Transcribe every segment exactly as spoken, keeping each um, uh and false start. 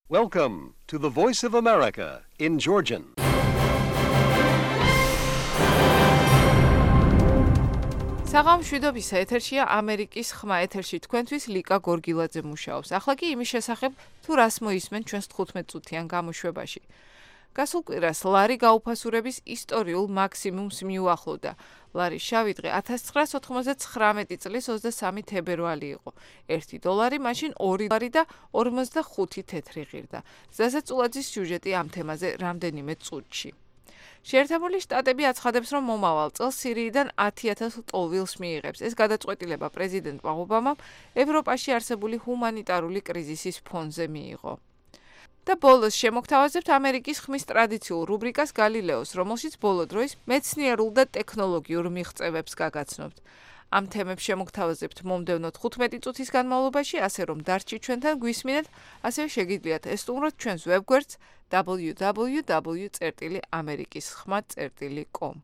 Welcome to the Voice of America in Georgian. საღამ მშვიდობისა ეთერშია ამერიკის ხმა ეთერში თქვენთვის ლიკა გორგილაძე მუშაობს. ახლა კი იმის შესახებ თუ რას მოისმენ ჩვენს თხუთმეტ წუთიან გამოშვებაში. გასულ კვირას ლარი გაუფასურების ისტორიულ მაქსიმუმს მიუახლოვდა. ლარის შავი დღე ათას ცხრაას ოთხმოცდაცხრამეტი წლის ოცდასამი თებერვალი იყო. ერთი დოლარი მაშინ ორი ლარი და ორმოცდახუთი თეთრი ღირდა. ზაზა წულაძის სიუჟეტი ამ თემაზე რამდენიმე წუთში. შეერთებული შტატები აცხადებს, რომ მომავალ წელს სირიიდან ათი ათას ტოლვილს მიიღებს. ეს გადაწყვეტილება პრეზიდენტმა ობამამ ევროპაში არსებული ჰუმანიტარული კრიზისის ფონზე მიიღო. და ბოლოს შემოგთავაზებთ ამერიკის ხმის ტრადიციულ რუბრიკას გალილეოს, რომელშიც ბოლო დროის მეცნიერულ და ტექნოლოგიურ მიღწევებს გაგაცნობთ. ამ თემებს შემოგთავაზებთ მომდევნო თხუთმეტი წუთის განმავლობაში, ასე რომ დარჩით ჩვენთან გვისმინეთ, ასევე შეგიძლიათ ესტუმროთ ჩვენს ვებგვერდს double-u double-u double-u წერტილი ამერიკის ხმა წერტილი com.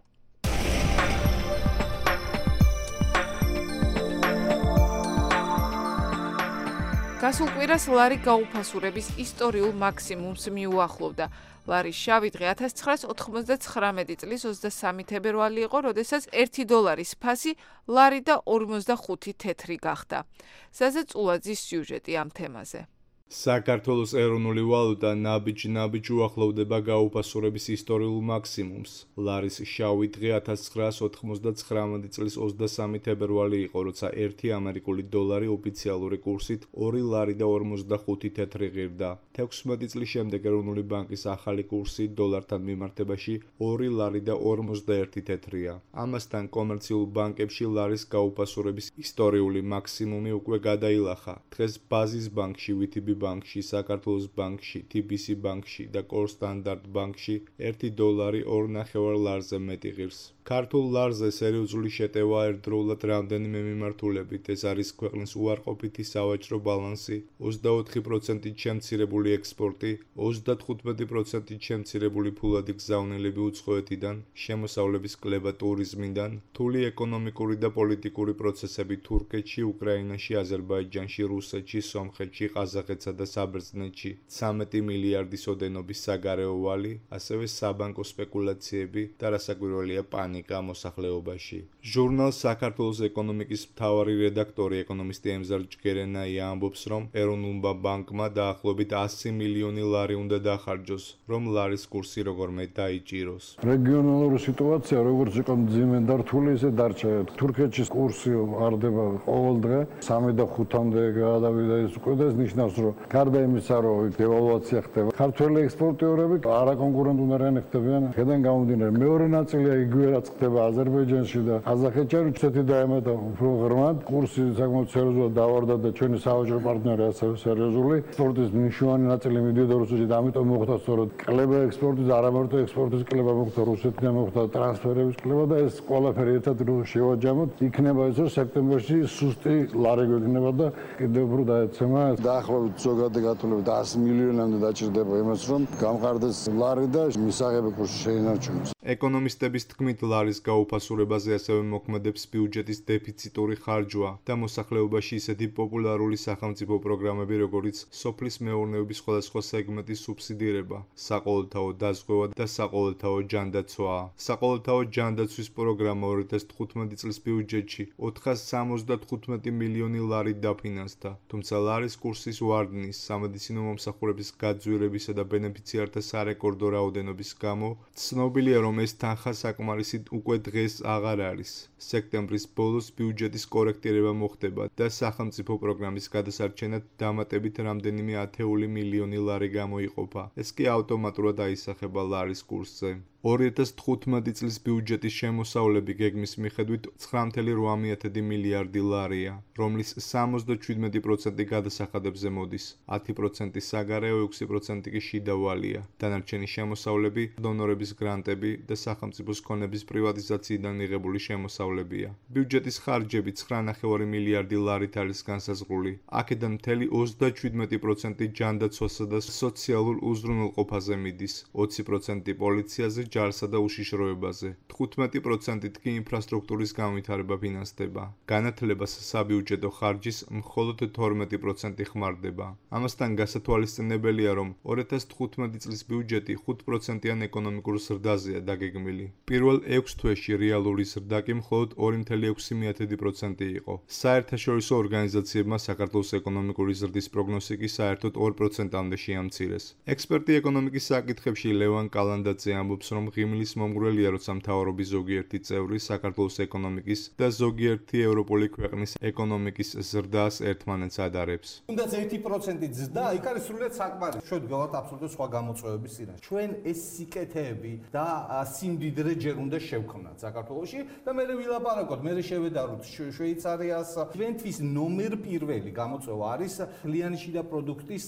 გასულ კვირას ლარი გაუფასურების ისტორიულ მაქსიმუმს მიუახლოვდა. ლარის შავი დღე ათას ცხრაას ოთხმოცდაცხრამეტი წლის ოცდასამი თებერვალი იყო, როდესაც ერთი დოლარის ფასი ლარი და ორმოცდახუთი თეთრი გახდა. ზაზა წულაძის სიუჟეტი ამ თემაზე. საქართველოს ეროვნული ვალუტა ნაბიჯ-ნაბიჯ უახლოვდება გაუფასურების ისტორიულ მაქსიმუმს. ლარის შავი დღე ათას ცხრაას ოთხმოცდაცხრამეტი წლის ოცდასამი თებერვალი იყო, როცა ერთი ამერიკული დოლარი ოფიციალური კურსით ორი ლარი და ორმოცდახუთი თეთრი ღირდა. თექვსმეტი წლის შემდეგ ეროვნული ბანკის ახალი კურსი დოლართან მიმართებაში ორი ლარი და ორმოცდაერთი თეთრია. ამასთან კომერციულ ბანკებში ლარის გაუფასურების ისტორიული მაქსიმუმი უკვე გადაილახა. დღეს ბაზის ბანკში ვიტიბი ბანკში, საქართველოს ბანკში, თი ბი სი ბანკში და კორ სტანდარტ ბანკში ერთი დოლარი ორ ნახევარ ლარზე მეტი ღირს. ქართულ ლარზე სერიოზული შეტევა ერთდროულად რამდენიმე მიმართულებით. ეს არის ქვეყნის უარყოფითი სავაჭრო ბალანსი, ოცდაოთხი პროცენტით შემცირებული ექსპორტი, ოცდათხუთმეტი პროცენტით შემცირებული ფულადი გზავნილები უცხოეთიდან, შემოსავლების კლება ტურიზმიდან, რთული ეკონომიკური და პოლიტიკური პროცესები თურქეთში, უკრაინაში, აზერბაიჯანში, რუსეთში, სომხეთში, ყაზახეთსა და საბერძნეთში, ცამეტი მილიარდის ოდენობის საგარეო ვალი, ასევე საბანკო სპეკულაციები და რასაკვირველია პანიკა მოსახლეობაში. ჟურნალ საქართველოს ეკონომიკის მთავარი რედაქტორი ეკონომისტი ემზარ ჯგერენაია ამბობს, რომ ეროვნულმა ბანკმა დაახლოებით ასი მილიონი ლარი უნდა დახარჯოს, რომ ლარის კურსი როგორმე დაიჭიროს. რეგიონალური სიტუაცია როგორც იყო მძიმე და რთული, ისე დარჩა. თურქეთში კურსი არდება ყოველ დღე სამი და ხუთამდე გადავიდა ის უკვე და ეს ნიშნავს, რომ გარდა იმისა, რომ დევალვაცია ხდება, ქართველი ექსპორტიორები არაკონკურენტუნარიანი ხდებიან. აქედან გამომდინარე, მეორე ნაწილია იგივე რაც ხდება აზერბაიჯანში და ყაზახეთში, რუსეთი დაემატა უფრო ღრმად. კურსი საკმაოდ სერიოზულად დავარდა და ჩვენი სავაჭრო პარტნიორი ასევე სერიოზული. ექსპორტის მნიშვნელოვანი ნაწილი მიდიოდა რუსეთში და ამიტომ მოხდა სწორედ კლება ექსპორტის, არა მარტო ექსპორტის კლება მოხდა რუსეთიდან, მოხდა ტრანსფერების კლება და ეს ყველაფერი ერთად შევაჯამოთ. იქნება ის, რომ სექტემბერში სუსტი ლარი გვექნება და კიდევ უფრო დაეცემა. დაახლოებით ზოგადი გათვლებით ასი მილიონამდე დაჭირდება იმას, რომ გამყარდეს ლარი და მისაღები კურსი შეინარჩუნოს. ეკონომისტების თქმით, ლარის გაუფასურებაზე ასევე მოქმედებს ბიუჯეტის დეფიციტური ხარჯვა და მოსახლეობაში ისეთი პოპულარული სახელმწიფო პროგრამები, როგორიც სოფლის მეურნეობის სხვადასხვა სეგმენტის სუბსიდირება, საყოველთაო დაზღვევა და საყოველთაო ჯანდაცვაა. საყოველთაო ჯანდაცვის პროგრამა ორი ათას თხუთმეტი წლის ბიუჯეტში ოთხას სამოცდათხუთმეტი მილიონი ლარი დაფინანსდა, თუმცა ლარის კურსის ვარდნის, სამედიცინო მომსახურების გაძვირებისა და ბენეფიციართა სარეკორდო რაოდენობის გამო ცნობილია, რომ ეს თანხა საკმარისი უკვე დღეს აღარ არის. სექტემბრის ბოლოს ბიუჯეტის კორექტირება მოხდება და სახელმწიფო პროგრამის გადასარჩენად დამატებით რამდენიმე ათეული მილიონი ლარი გამოიყოფა. ეს კი ავტომატურად აისახება ლარის კურსზე. ორი ათას თხუთმეტი წლის ბიუჯეტის შემოსავლები გეგმის მიხედვით ცხრა კoma ოთხ მილიარდი ლარია, რომლის სამოცდაშვიდმეტი პროცენტი გადასახადებზე მოდის, ათი პროცენტი საგარეო, ექვსი პროცენტი კი შიდა ვალია. დანარჩენი შემოსავლები დონორების გრანტები და სახელმწიფოს ქონების პრივატიზაციიდან მიღებული შემოსავლებია. ბიუჯეტის ხარჯები ცხრა კoma პέντε მილიარდი ლარით არის განსაზღვრული. აქედან მთელი ოცდაშვიდმეტი პროცენტი ჯანდაცვასა და სოციალურ უზრუნველყოფაზე მიდის, ოცი პროცენტი პოლიციაზე, ჯარსა და უშიშროებაზე. თხუთმეტი პროცენტით კი ინფრასტრუქტურის განვითარება ფინანსდება. განათლებას საბიუჯეტო ხარჯის მხოლოდ თორმეტი პროცენტი ხმარდება. ამასთან გასათვალისწინებელია, რომ ორი ათას თხუთმეტი წლის ბიუჯეტი ხუთ პროცენტიან ეკონომიკურ ზრდაზეა დაგეგმილი. პირველ ექვს თვეში რეალური ზრდა კი მხოლოდ ორი კoma ექვსი პროცენტი იყო. საერთაშორისო ორგანიზაციებმა საქართველოს ეკონომიკური ზრდის პროგნოზი კი საერთოდ ორ პროცენტამდე შეამცირეს. ექსპერტი ეკონომიკის საკითხებში ლევან კალანდაძე ამბობს, რომ ღიმილის მომგვრელია, როცა მთავრობის ზოგიერთი წევრი საქართველოს ეკონომიკის და ზოგიერთი ევროპული ქვეყნის ეკონომიკის ზრდას ერთმანეთს ადარებს. თუნდაც ერთი პროცენტი ზრდა, იქ არის სრულიად საკმარისი. ჩვენ ვდგავართ აბსოლუტურად სხვა გამოწვევების წინაშე. ჩვენ ეს სიკეთეები და სიმდიდრე ჯერ უნდა შევქმნათ საქართველოში და მე ვილაპარაკოთ, მე შევედაროთ შვეიცარიას. ჩვენთვის ნომერ პირველი გამოწვევა არის მთლიანი შიდა პროდუქტის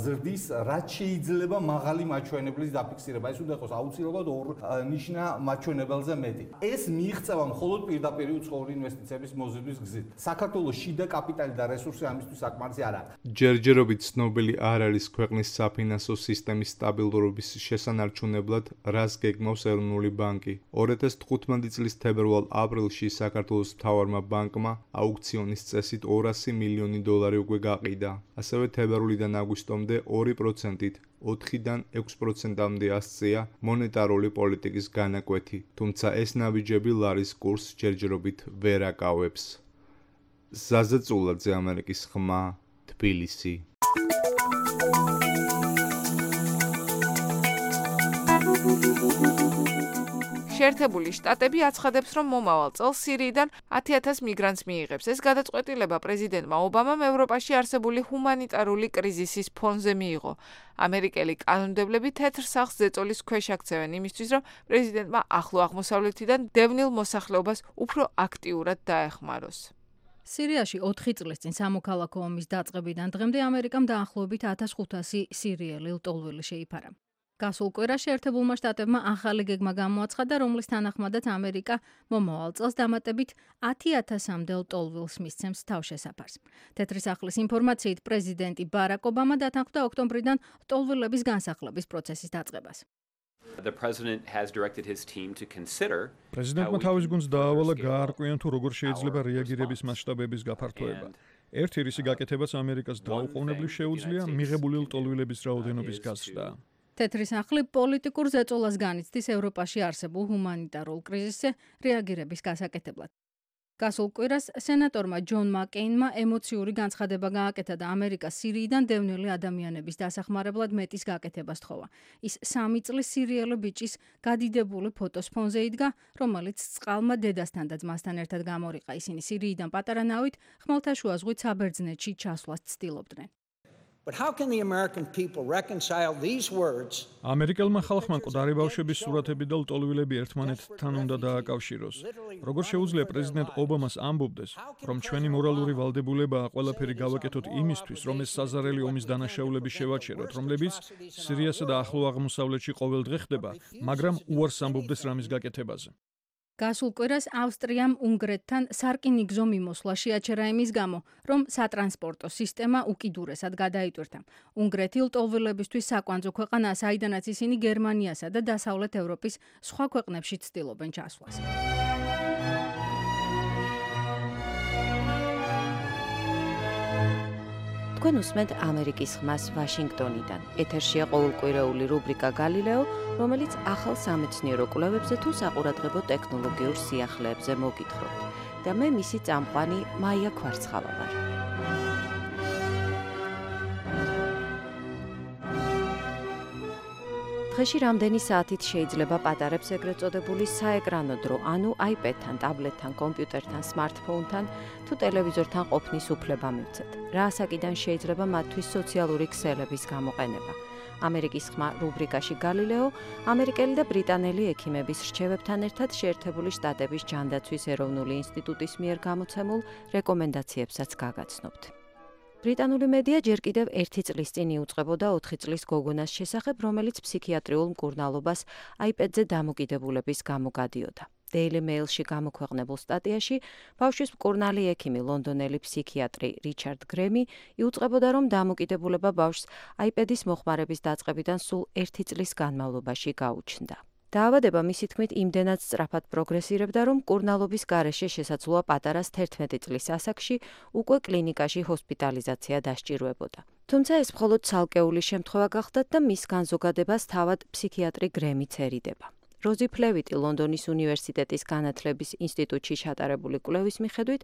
ზრდის რაც შეიძლება მაღალი მაჩვენებლის დაფიქსირება. ეს უნდა იყოს აუცილებლად ორ ნიშნა მაჩვენებელზე მეტი. ეს მიიღწევა მხოლოდ პირდაპირ უცხოური ინვესტიციების მოზიდვის გზით. საქართველოს შიდა კაპიტალი და რესურსი ამისთვის საკმარისი არ არის. ჯერჯერობით ცნობილი არ არის ქვეყნის საფინანსო სისტემის სტაბილურობის შესანარჩუნებლად, რას გეგმავს ეროვნული ბანკი. ორი ათას თხუთმეტი წლის თებერვალ-აპრილში საქართველოს მთავარმა ბანკმა აუქციონის წესით ორასი მილიონი დოლარი უკვე გაყიდა. ასევე თებერვლიდან აგვისტომდე ორი პროცენტით ოთხიდან ექვს პროცენტამდე ასწია მონეტარული პოლიტიკის განაკვეთი, თუმცა ეს ნაბიჯები ლარის კურსს ჯერჯერობით ვერ აკავებს. ზაზა წულაძე, ამერიკის ხმა, თბილისი. შეერთებული შტატები აცხადებს, რომ მომავალ წელს სირიიდან ათი ათას მიგრანტს მიიღებს. ეს გადაწყვეტილება პრეზიდენტმა ობამამ ევროპაში არსებული ჰუმანიტარული კრიზისის ფონზე მიიღო. ამერიკელი კანონმდებლები თეთრ სახლს ზეწოლის ქვეშ აქცევენ იმისთვის, რომ პრეზიდენტმა ახლო აღმოსავლეთიდან დევნილ მოსახლეობას უფრო აქტიურად დაეხმაროს. სირიაში ოთხი წლის წინ სამოქალაქო ომის დაწყებიდან დღემდე ამერიკამ დაახლოებით ათას ხუთასი სირიელი ლტოლვილი შეიფარა. გასულ კვირას შეერთებულმა შტატებმა ახალი გეგმა გამოაცხადა, რომლის თანახმადაც ამერიკა მომავალ წელს დამატებით ათი ათასამდე ლტოლვილს მისცემს თავშესაფარს. თეთრი სახლის ინფორმაციით პრეზიდენტი ბარაკ ობამა დათანხმდა ოქტომბრიდან ლტოლვილების განსახლების პროცესის დაწყებას. პრეზიდენტმა თავის გუნდს დაავალა გაარკვიონ თუ როგორ შეიძლება რეაგირების მასშტაბების გაფართოება. ერთი რისი გაკეთებაც ამერიკას დაუყოვნებლივ შეუძლია მიღებული ლტოლვილების რაოდენობის გაზრდა. თეთრი სახლი პოლიტიკურ ზეწოლას განიცდის ევროპაში არსებულ ჰუმანიტარულ კრიზისზე რეაგირების გასაკეთებლად. გასულ კვირას სენატორმა ჯონ მაკეინმა ემოციური განცხადება გააკეთა და ამერიკას სირიიდან დევნილი ადამიანების დასახმარებლად მეტის გაკეთებას თხოვა. ის სამი წლის სირიელი ბიჭის გადიდებული ფოტოს ფონზე იდგა, რომელიც წყალმა დედასთან და ძმასთან ერთად გამორიყა. ისინი სირიიდან პატარა ნავით ხმელთაშუა ზღვით საბერძნეთში ჩასვლას ცდილობდნენ. But how can the American people reconcile these words? ამერიკელმა ხალხმა მკვდარი ბავშვების სურათები და ლტოლვილები ერთმანეთთან უნდა დააკავშიროს. როგორ შეუძლია პრეზიდენტ ობამას ამბობდეს, რომ ჩვენი მორალური ვალდებულებაა ყველაფერი გავაკეთოთ იმისთვის, რომ ეს საზარელი ომის დანაშაულები შევაჩეროთ, რომლებიც სირიასა და ახლო აღმოსავლეთში ყოველ დღე ხდება, მაგრამ უარს ამბობდეს რამის გაკეთებაზე. გასულ კვირას ავსტრიამ უნგრეთთან სარკინიგზო მიმოსვლა შეაჩერა იმის გამო, რომ სატრანსპორტო სისტემა უკიდურესად გადაიტვირთა. უნგრეთი ლტოლვილებისთვის საკვანძო ქვეყანაა, საიდანაც ისინი გერმანიასა და დასავლეთ ევროპის სხვა ქვეყნებში ცდილობენ ჩასვლას. თქვენ უსმენთ ამერიკის ხმას ვაშინგტონიდან. ეთერშია ყოველკვირეული რუბრიკა გალილეო, რომელიც ახალ სამეცნიერო კვლევებზე თუ საყურადღებო ტექნოლოგიურ სიახლეებზე მოგითხრობთ. და მე მისი წამყვანი მაია ქვარცხავა ვარ. დღეში რამდენი საათით შეიძლება პატარებს ეგრეთ წოდებული საეკრანო დრო, ანუ აიპედთან, ტაბლეტთან, კომპიუტერთან, სმარტფონთან თუ ტელევიზორთან ყოფნის უფლება მივცეთ. რა ასაკიდან შეიძლება მათთვის სოციალური ქსელების გამოყენება. ამერიკის ხმა რუბრიკაში გალილეო, ამერიკელი და ბრიტანელი ექიმების რჩევებთან ერთად შეერთებული შტატების ჯანდაცვის ეროვნული ინსტიტუტის მიერ გამოცემულ რეკომენდაციებსაც გაგაცნობთ. ბრიტანული მედია ჯერ კიდევ ერთი წლის წინ იუწყებოდა ოთხი წლის გოგონას შესახებ, რომელიც ფსიქიატრიულ მკურნალობას აიპედზე დამოკიდებულების გამო გადიოდა. Daily Mail-ში გამოქვეყნებულ სტატიაში ბავშვის მკურნალი ექიმი ლონდონელი ფსიქიატრი რიჩარდ გრემი იუწყებოდა, რომ დამოკიდებულება ბავშვს აიპედის მოხმარების დაწყებიდან სულ ერთი წლის განმავლობაში გაუჩნდა. დაავადება მისი თქმით იმდენად სწრაფად პროგრესირებდა, რომ მკურნალობის გარეშე შესაძლოა პატარას თერთმეტი წლის ასაკში უკვე კლინიკაში ჰოსპიტალიზაცია დასჭირვებოდა. თუმცა ეს მხოლოდ ცალკეული შემთხვევა გახდათ და მის განზოგადებას თავად ფსიქიატრი გრემიც ერიდება. როზი ფლევიტი ლონდონის უნივერსიტეტის განათლების ინსტიტუტში ჩატარებული კვლევის მიხედვით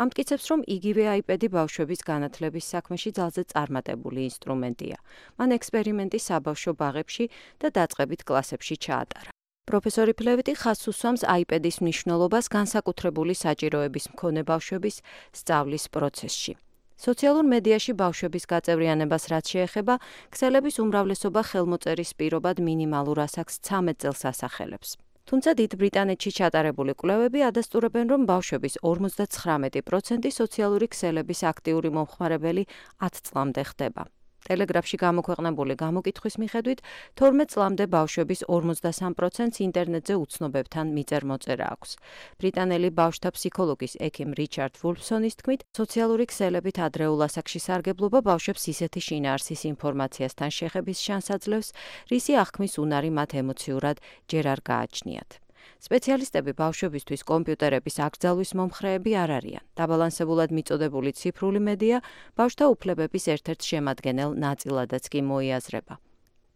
ამტკიცებს, რომ იგივე iPad-ი ბავშვების განათლების საქმეში ძალზე წარმატებული ინსტრუმენტია. მან ექსპერიმენტი საბავშვო ბაღებში და დაწყებით კლასებში ჩაატარა. პროფესორი ფლევიტი ხაზს უსვამს iPad-ის მნიშვნელობას განსაკუთრებული საჭიროების მქონე ბავშვების სწავლის პროცესში. სოციალურ მედიაში ბავშვების გაწევრიანებას რაც შეეხება, ქსელების უმრავლესობა ხელმოწერის პირობად მინიმალურ ასაკს ცამეტ წელს ასახელებს. თუმცა დიდ ბრიტანეთში ჩატარებული კვლევები ადასტურებენ, რომ ბავშვების ორმოცდათხრამეტი პროცენტი სოციალური ქსელების აქტიური მომხმარებელი ათ წლამდე ხდება. ტელეგრაფში გამოქვეყნებული გამოკითხვის მიხედვით, თორმეტ წლამდე ბავშვების ორმოცდასამ პროცენტს ინტერნეტზე უცნობებთან მიწერ-მოწერა აქვს. ბრიტანელი ბავშვთა ფსიქოლოგის ექიმ რიჩარდ ვულფსონის თქმით, სოციალური ქსელებით ადრეულ ასაკში სარგებლობა ბავშვებს ისეთი შინაარსის ინფორმაციასთან შეხების შანსს აძლევს, რისი აღქმის უნარი მათ ემოციურად ჯერ არ გააჩნიათ. სპეციალისტები ბავშვებისთვის კომპიუტერების აკრძალვის მომხრეები არ არიან. დაბალანსებულად მიწოდებული ციფრული მედია ბავშვთა უფლებების ერთ-ერთ შემადგენელ ნაწილადაც კი მოიაზრება.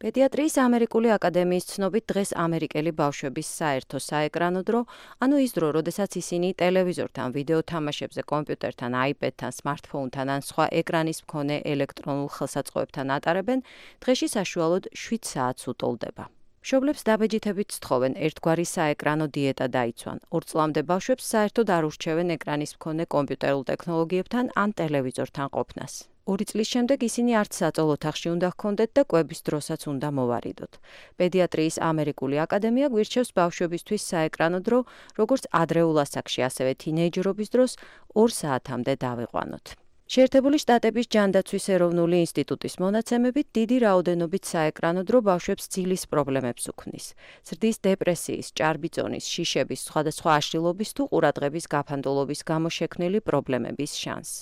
პედიატრიის ამერიკული აკადემიის ცნობით დღეს ამერიკელი ბავშვების საერთო საეკრანო დრო, ანუ ის დრო, როდესაც ისინი ტელევიზორთან, ვიდეო თამაშებზე, კომპიუტერთან, iPad-თან, smartphone-თან ან სხვა ეკრანის მქონე ელექტრონულ ხელსაწყოებთან ატარებენ, დღეში საშუალოდ შვიდ საათს უტოლდება. მშობლებს დაბეჯითებით სთხოვენ ერთგვარი საეკრანო დიეტა დაიცვან. ორ წლამდე ბავშვებს საერთოდ არ ურჩევენ ეკრანის მქონე კომპიუტერულ ტექნოლოგიებთან ან ტელევიზორთან ყოფნას. ორი წლის შემდეგ ისინი არც საწოლ ოთახში უნდა ჰქონდეთ და კვების დროსაც უნდა მოვარიდოთ. პედიატრიის ამერიკული აკადემია გვირჩევს ბავშვებისთვის საეკრანო დრო, როგორც ადრეულ ასაკში, ასევე თინეიჯერობის დროს ორ საათამდე დავიყვანოთ. შეერთებული შტატების ჯანდაცვის ეროვნული ინსტიტუტის მონაცემებით დიდი რაოდენობით საეკრანო დრო ბავშვებს ძილის პრობლემებს უქმნის. ზრდის დეპრესიის, ჭარბიწონის, შიშების, სხვადასხვა აშლილობის თუ ყურადღების გაფანტულობის გამო შექმნილი პრობლემების შანსს.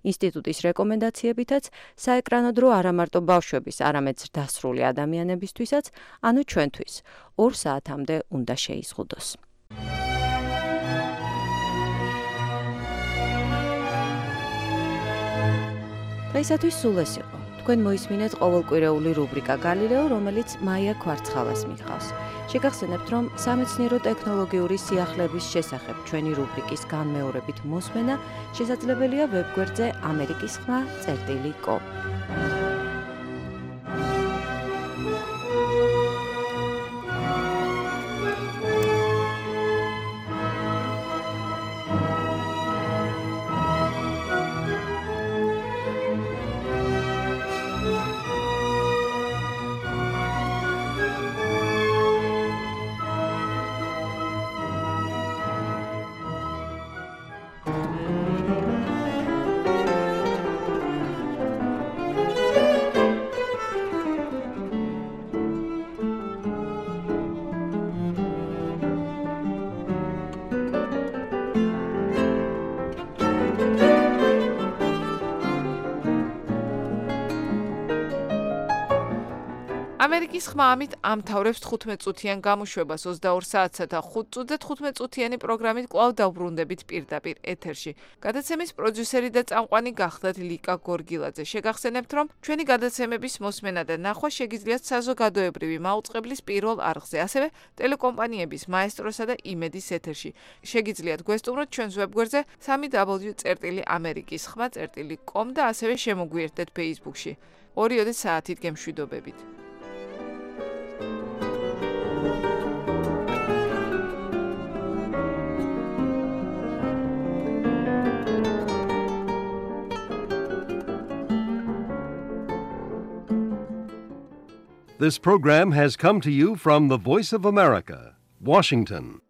ინსტიტუტის რეკომენდაციებითაც საეკრანო დრო არა მარტო ბავშვების, არამედ ზრდასრული ადამიანებისთვისაც, ანუ ჩვენთვის, ორ საათამდე უნდა შეიზღუდოს. დღეისათვის სულ ეს იყო. თქვენ მოისმინეთ ყოველკვირეული რუბრიკა გალილეო, რომელიც მაია ქვარცხალას მიყავს. შეგახსენებთ, რომ სამეცნიერო ტექნოლოგიური სიახლეების შესახებ ჩვენი რუბრიკის განმეორებით მოსმენა შესაძლებელია ვებგვერდზე ამერიკის ხმა წერტილი კომ. ამერიკის ხმა ამით ამთავრებს თხუთმეტ წუთიან გამოშვებას ოცდაორ საათსა და ხუთ წუთზე თხუთმეტ წუთიანი პროგრამით კვლავ დავბრუნდებით პირდაპირ ეთერში. გადაცემის პროდიუსერი და წამყვანი გახდათ ლიკა გორგილაძე. შეგახსენებთ, რომ ჩვენი გადაცემების მოსმენა და ნახვა შეგიძლიათ საზოგადოებრივი მაუწყებლის პირველ არხზე, ასევე ტელეკომპანიების მაესტროსა და იმედის ეთერში. შეგიძლიათ გვესტუმროთ ჩვენს ვებგვერდზე სამი დაბლიუ წერტილი ამერიკის ხმა წერტილი კომ და ასევე შემოგვიერთდეთ Facebook-ში. ორიოდე საათით გემშვიდობებით. This program has come to you from the Voice of America, Washington.